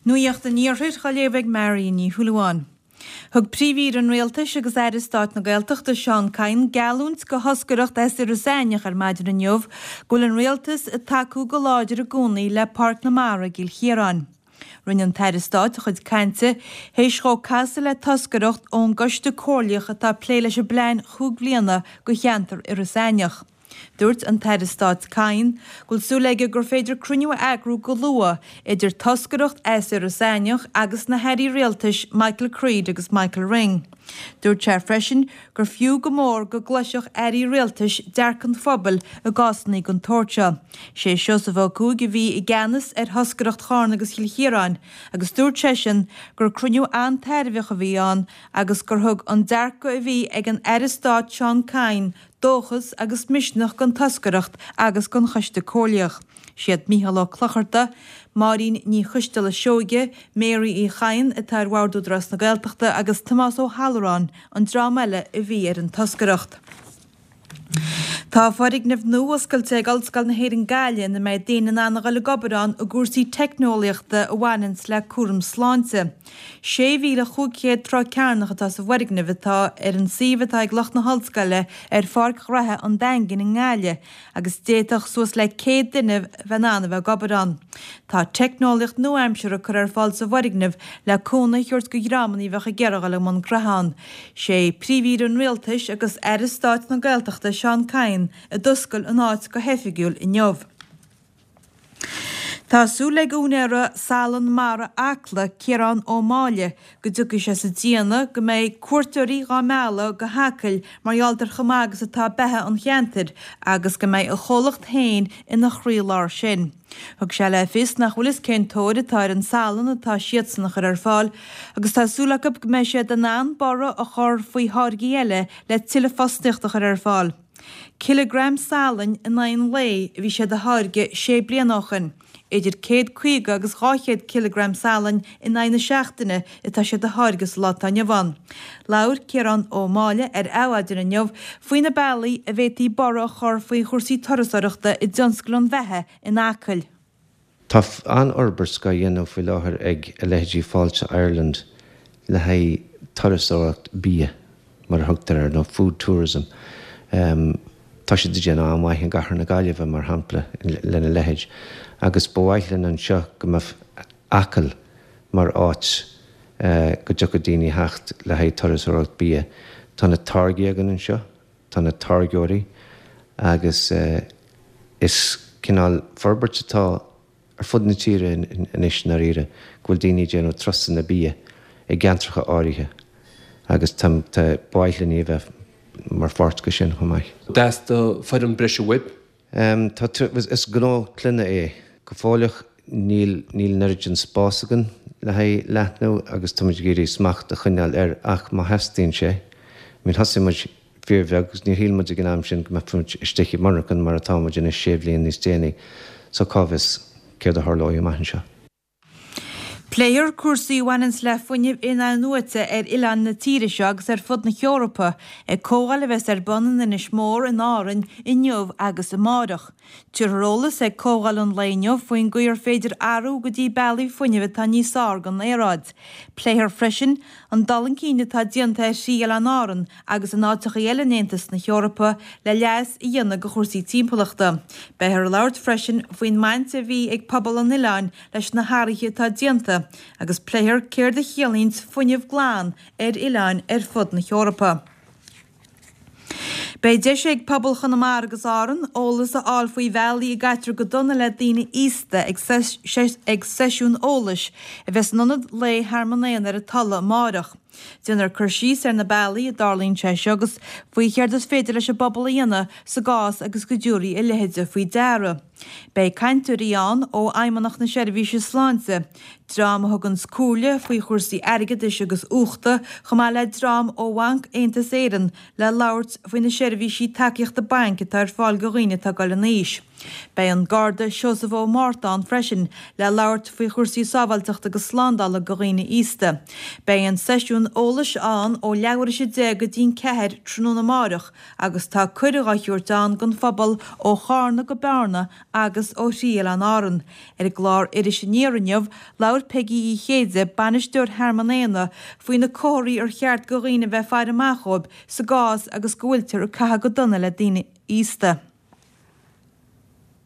Nuacht an Iarthair á léamh ag Marion Ní Shúilleabháin. Thug Príomh-Aoire an Rialtais agus Aire Stáit na Gaeltachta Seán Kyne geallúint do thoscaireacht as Iorras Aithneach ar maidin inniu go bhfuil an Rialtas ag tacú go láidir i gcónaí le Páirc na Mara i gCill Chiaráin. Rinne an tAire Stáit a chuid cainte théis dhó casadh le toscaireacht ón gCoiste Comhairleach atá ag plé leis an bplean chúig bhliana do cheantar Iorras Aithneach. Dúirt an tAire Stáit Kyne go bhfuil súil aige gur féidir cruinniú a eagrú go luath idir toscaireacht as Iorras Aithneach agus na hairí rialtais Michael Creed agus Michael Ring. Dúirt sé freisin gur fiú go mór go gcloisfeadh airí rialtais dearcadh an phobail i gcásanna den tsórt seo. Sé Seosamh Ó Cuaig a bhí i gceannas ar thoscaireacht Charna agus Chill Chiaráin agus dúirt seisean gur cruinniú an-tairbheach a bhí ann agus gur thug an dearcadh a bhí ag an Aire Stáit Seán Kyne dóchas agus misneach don toscaireacht agus don Choiste Comhairleach. Siad Mícheál Ó Clochartaigh, Máirín Ní Choisteala Seoige, Mary Uí Chadhain atá ar Bhord Údarás na Gaeltachta agus Tomás Ó hAlluráin an dream eile a bhí ar an toscaireacht. Tá foirgneamh nua oscailte ag Ollscoil na hÉireann Gaillimh ina mbeidh daoine in ann a dhul ag obair ann i gcúrsaí teicneolaíochta a bhaineanns le cúram sláinte. 6,500 troigh cearnach atá sa bhfoirgneamh atá ar an suíomh atá ag lucht na hollscoile ar Pháirc Ghraithe an Daingin i nGaillimh agus d'fhéadfadh suas le 100 duine bheith in ann a bheith ag obair ann. Tá teicneolaíocht nua-aimseartha curtha ar fáil sa bhfoirgneamh le cúnamh a thabhairt do dhreamanna a bheadh ag iarraidh dul i mbun graithe ann. Sé Príomh-Aoire an Rialtais agus Aire Stáit na Gaeltachta Seán Kyne a d'oscail an áit go hoifigiúil inniu. Tá súil ag úinéara Salann Mara Acla, Ciarán Ó Máille, go dtiocfaidh sé sa déanamh go mbeidh cuairteoirí dhá mealladh go hAcaill mar gheall ar chomh maith agus atá beatha an cheantair agus go mbeidh a chomhlacht féin ina chroílár sin. Thug sé le fios nach bhfuil fhios cén tóir atá ar an salann atá siadsan a chur ar fáil agus tá súil acu go mbeidh siad in ann borradh a chur faoi tháirgí eile le tuilleadh fostaíochta a chur ar fáil. Cileagram salainn in aghaidh an lae a bhí siad a tháirgeadh sé bliana ó shoin. Idir 150 agus 200 cileagram salainn in aghaidh na seachtaine atá siad a tháirgeadh sa lá atá inniu ann. Labhair Ciarán Ó Máille ar Adhmhaidin inniu faoi na bealaí a bhféadfaí borradh a chur faoi chúrsaí turasóireachta i dtionscal an bheatha in Acaill. Tá an-fhorbairt dhá dhéanamh faoi láthair ag a leithéidí Fáilte Ireland le haghaidh turasóireacht bia, mar a thugtar air, nó food tourism. Tá siad ag déanamh an-mhaith i gcathair na Gaillimhe, mar shampla, lena leithéid. Agus ba mhaith linn anseo go mbeadh Acaill mar áit go dtiocfadh daoine theacht le haghaidh turasóireacht bia. Tá na táirgí againn anseo. Tá na táirgeoirí agus is cineál forbairt atá ar fud na tíre anois i ndáiríre go bhfuil daoine ag déanamh turasanna bia i gceantracha áirithe agus tá ba mhaith linn a bheith mar pháirt de sin chomh maith. Theastaigh foireann breise uaibh? Tá, is gnó clainne é. Go fóilleach níl, níl an oiread sin spás againn le haghaidh leathnú agus táimid ag iarraidh smacht a choinneáil air ach má theastaíonn sé, I mean thosaigh muid fíorbheag agus níor shíl muid ag an am sin go mbeadh muid istigh i monarchan mar atá muid anois sé bhliain níos déanaí so cá bhfios céard a tharlóidh amach anseo. Pléifear cúrsaí a bhaineanns le fuinneamh in-athnuaite ar oileáin na tíre seo agus ar fud na hEorpa ag comhdháil a bheas ar bun in Inis Mór in Árainn inniu agus amáireach. Tabharfar eolas ag comhdháil an lae inniu faoin gcaoi ar féidir athrú go dtí bealaí fuinnimh atá níos fearr don aeráid. Pléifear freisin an dul chun cinn atá déanta ar thrí Oileáin Árann agus in áiteachaí eile in Aontas na hEorpa le leas a dhéanamh go chúrsaí timpeallachta. Beifear ag labhairt freisin faoin mbaint a bhí ag pobal an oileáin leis na hathruithe atá déanta agus pléifear céard a chiallaíonns fuinneamh glan ar oileáin ar fud na hEorpa. Beidh deis ag pobal Chonamara agus Árann eolas a fháil faoi bhealaí a gcaitear go dona le daoine aosta ag seisiún eolais a bheas in Ionad Lae Thearmann Éanna ar an Tulaigh amáireach. Déanfar cur síos ar na bealaí a dtarlaíonn sé seo agus faoi chéard is féidir leis an bpobal a dhéanamh sa gcás agus go dtabharfaí a leithéide faoi deara. Beidh cainteoirí ann ó Fheidhmeannacht na Seirbhíse Sláinte, dream a thuganns comhairle faoi chúrsaí airgeadais agus uchta, chomh maith le dream ó Bhanc Aontas Éireann le labhairt faoi na seirbhísí tacaíochta bainc atá ar fáil go dhaoine atá ag dul in aois. Beidh an Garda Seosamh Ó Márta ann freisin le labhairt faoi chúrsaí sábháilteachta agus slándála go dhaoine aosta. Beidh an seisiún eolais ann ó leathuair théis 10 go dtí'n 4 tráthnóna amáireach agus tá cuireadh á thabhairt ann don phobal ó Chárna go Bearna agus ó thrí Oileáin Árann. Ar an gclár Iris Aniar inniu, labhair Peigí Uí Chéide, Bainisteoir Thearmann Éanna, faoi na comharthaí ar cheart go dhaoine a bheith ag faire amach dhóibh sa gcás agus go bhfuiltear ag caitheamh go dona le daoine aosta.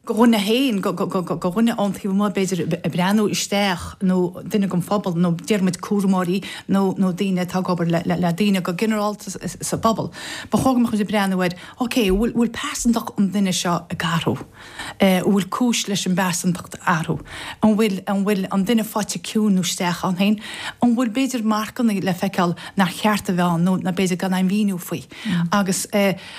go dhuine féin, go dhuine ón taobh amuigh b'fhéidir ag breathnú isteach nó duine den phobal nó déarfaidh muid cúramóirí nó nó daoine atá ag obair le le daoine go ginearálta sa phobal. Ba chóir go mbeadh muid ag breathnú ar ok, bhfuil bhfuil pearsantacht an duine seo ag athrú? An bhfuil cúis leis an bpearsantacht athrú? An bhfuil an bhfuil an duine faighte ciúin nó isteach ann féin? An bhfuil b'fhéidir marcanna le feiceáil nár cheart a bheith ann nó nó b'fhéidir gan aon mhíniú faoi? Agus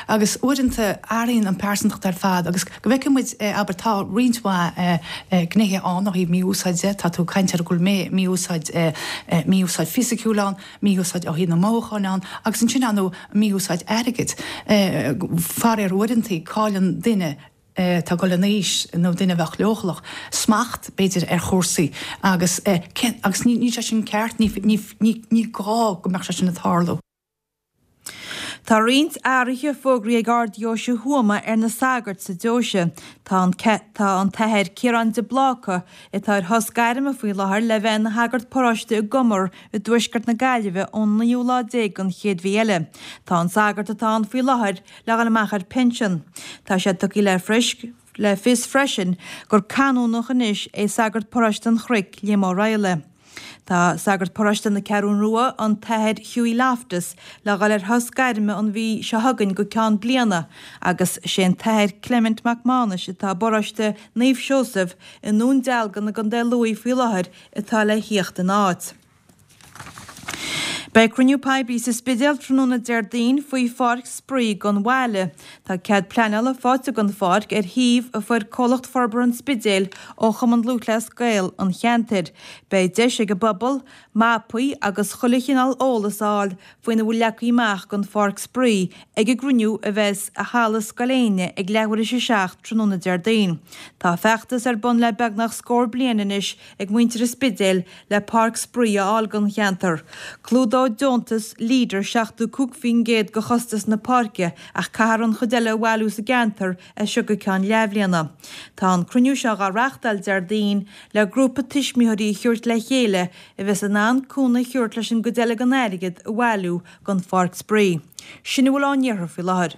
Agus uaireanta athraíonn an pearsantacht ar fad agus go bhfeicfidh muid, abair, tá roinnt mhaith gnéithe ann ó thaobh mí-úsáid de, tá tú ag caint ar go bhfuil mí-úsáid, mí-úsáid fisiciúil ann, mí-úsáid ó thaobh na mothúcháin ann agus ansin ar ndóigh mí-úsáid airgid. Faraor uaireanta cailleann duine atá ag dul in aois nó duine a bheadh leochaileach, smacht b'fhéidir ar chúrsaí agus agus níl sé sin ceart, ní gá go mbeadh sé sin ag tarlú. Tá roinnt athruithe fógraithe ag Ard-Dheoise Thuama ar na sagairt sa deoise. Tá an Tá an tAthair Ciarán de Bláca, atá ar shos gairme faoi láthair, le bheith ina shagart paróiste i gCumar i dtuaisceart na Gaillimhe ón naoú lá déag den chéad mhí eile. Tá an sagart atá ann faoi láthair le dhul amach ar pinsean. Tá sé tugtha le le fios freisin gur canónach anois é sagart paróiste an Chnoic, Liam Ó Raghallaigh. Tá sagart paróiste na Ceathrún Rua, an tAthair Hughie Loftus, le dhul ar shos gairme an mhí seo chugainn go ceann bliana agus sé an tAthair Clement Mac Mánais atá i bparóiste Naomh Seosamh i nDún Dealgan i gContae Lú faoi láthair atá le thíocht ina áit. Beidh cruinniú poiblí sa Spidéal tráthnóna Déardaoin faoi pháirc spraoi don bhaile. Tá cead pleanála faighte don pháirc ar shuíomh a fuair Comhlacht Forbartha an Spidéil ó Chumann Lúthchleas Gael an cheantair. Beidh deis ag an bpobal mapaí agus chuile chineál eolas a fháil faoina bhfuil leagtha amach don pháirc spraoi ag an gcruinniú a bheas i Halla Scoil Éinne ag leathuair théis a 7 tráthnóna Déardaoin. Tá feachtas ar bun le beagnach scór bliain anois ag muintir an Spidéil le páirc spraoi a fháil don cheantar. Clúdóidh deontas Leader 75% de chostas na páirce ach caithfear an chuid eile a bhailiú sa gceantar as seo go ceann leathbhliana. Tá an cruinniú seo dhá reachtáil Déardaoin le grúpa tuismitheoirí a thabhairt le chéile a bheas in ann cúnamh a thabhairt leis an gcuid eile den airgead a bhailiú don pháirc spraoi. Sin a bhfuil ón iarthar faoi láthair.